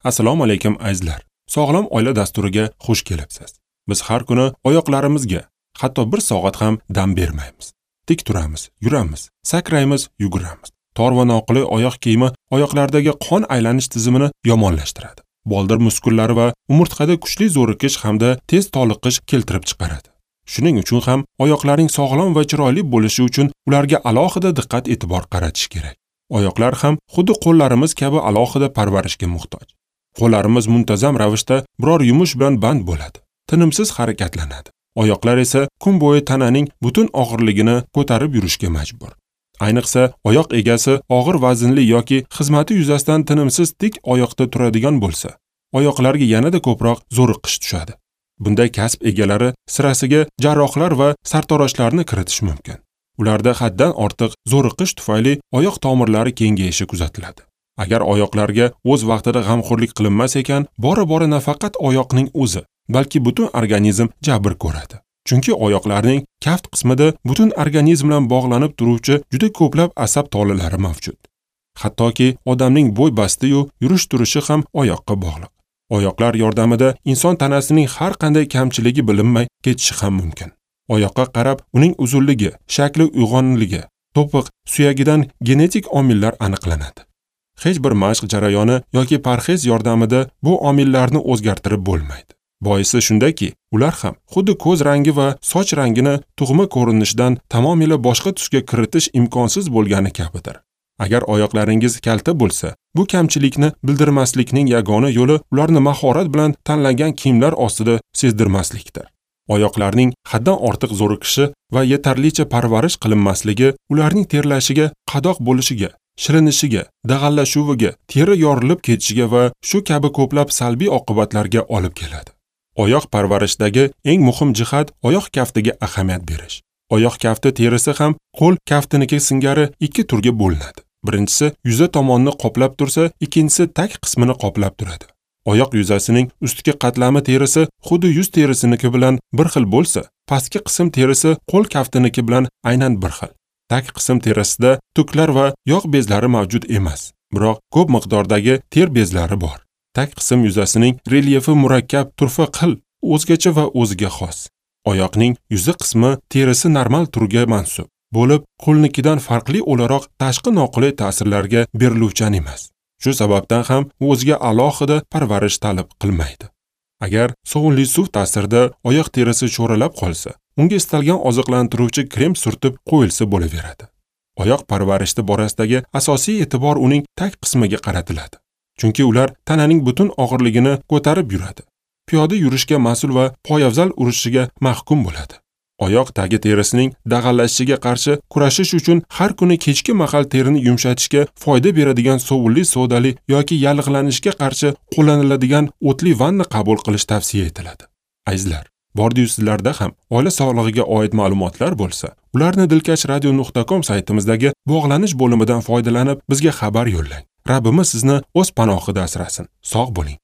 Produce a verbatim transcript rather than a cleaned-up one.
Assalomu alaykum azizlar. Sog'lom oila dasturiga xush kelibsiz. Biz har kuni oyoqlarimizga hatto bir soat ham dam bermaymiz. Tik turamiz, yuramiz, sakraymiz, yuguramiz. Tor va noqulay oyoq kiyimi oyoqlardagi qon aylanish tizimini yomonlashtiradi. Boldir muskullari va umurtqada kuchli zo'riqish hamda tez toliqish keltirib chiqaradi. Shuning uchun ham oyoqlarning sog'lom va chiroyli bo'lishi uchun ularga alohida diqqat e'tibor qaratish kerak. Oyoqlar ham xuddi qo'llarimiz kabi alohida parvarishga muhtoj. Qo'llarimiz muntazam ravishda biror yumush bilan band bo'ladi, tinimsiz harakatlanadi. Oyoqlar esa kun bo'yi tananing butun og'irligini ko'tarib yurishga majbur. Ayniqsa, oyoq egasi og'ir vaznli yoki xizmati yuzasidan tinimsiz tik oyoqda turadigan bo'lsa, oyoqlarga yanada ko'proq zo'riqish tushadi. Bunday kasb egalari sirasiga jarrohlar va sartaroshlarni kiritish mumkin. Ularda haddan ortiq zo'riqish tufayli oyoq tomirlari kengayishi kuzatiladi. Agar oyoqlarga o'z vaqtida g'amxo'rlik qilinmas ekan, bora-bora nafaqat oyoqning o'zi, balki butun organizm jabr ko'radi. Chunki oyoqlarning kaft qismida butun organizm bilan bog'lanib turuvchi juda ko'plab asab tolalari mavjud. Hattoki odamning bo'y basti-yu yurish-turishi ham oyoqqa bog'liq. Oyoqlar yordamida inson tanasining har qanday kamchiligi bilinmay ketishi ham mumkin. Oyoqqa qarab uning uzunligi, shakli uyg'onligi, to'piq, suyagidan genetik omillar aniqlanadi. Hech bir mashq jarayoni yoki parhez yordamida bu omillarni o'zgartirib bo'lmaydi. Boisi shundaki, ular ham xuddi ko'z rangi va soch rangini tug'ma ko'rinishidan tamomila boshqa tusga kiritish imkonsiz bo'lgani kabidir. Agar oyoqlaringiz kalta bo'lsa, bu kamchilikni bildirmaslikning yagona yo'li ularni mahorat bilan tanlangan kiyimlar ostida sezdirmaslikdir. Oyoqlarning haddan ortiq zo'riqishi va yetarlicha parvarish qilinmasligi ularning terlashiga, qadoq bo'lishiga, shilinishiga, dag'allashuviga, teri yorilib ketishiga va shu kabi ko'plab salbiy oqibatlarga olib keladi. Oyoq parvarishidagi eng muhim jihat oyoq kaftiga ahamiyat berish. Oyoq kafti terisi ham qo'l kaftiniki singari ikki turga bo'linadi. Birinchisi yuza tomonni qoplab tursa, ikkinchisi tag qismini qoplab turadi. Oyoq yuzasining ustki qatlami terisi xuddi yuzterisiniki bilan bir xil bo'lsa, pastki qism terisi qo'l kaftiniki bilan aynan bir xil. Tag qism terisida tuklar va yog' bezlari mavjud emas, biroq ko'p miqdordagi ter bezlari bor. Tag qism yuzasining relyefi murakkab turfa qil, o'zgacha va o'ziga xos. Oyoqning yuzi qismi terisi normal turga mansub bo'lib, qo'lnikidan farqli o'laroq tashqi noqulay ta'sirlarga beriluvchan emas. Shu sababdan ham o'ziga alohida parvarish talab qilmaydi. Agar sovunli suv ta'sirida oyoq terisi cho'ralab qolsa, unga istalgan oziqlantiruvchi krem surtib qo'yilsa bo'laveradi. Oyoq parvarishda borasidagi asosiy e'tibor uning tag qismiga qaratiladi. Chunki ular tananing butun og'irligini ko'tarib yuradi. Piyoda yurishga mas'ul va poyafzal urishiga mahkum bo'ladi. Oyoq tagi terisining dag'allashishiga qarshi kurashish uchun har kuni kechki mahal terini yumshatishga foyda beradigan sovunli sodali yoki yallig'lanishga qarshi qo'llaniladigan o'tli vanna qabul qilish tavsiya etiladi. Azizlar, bordiyu sizlarda ham oila sog'lig'iga oid ma'lumotlar bo'lsa, ularni dilkash radio nuqta com saytimizdagi bog'lanish bo'limidan foydalanib bizga xabar yo'llang. Rabbimiz sizni o'z panohida asrasin. Sog' bo'ling.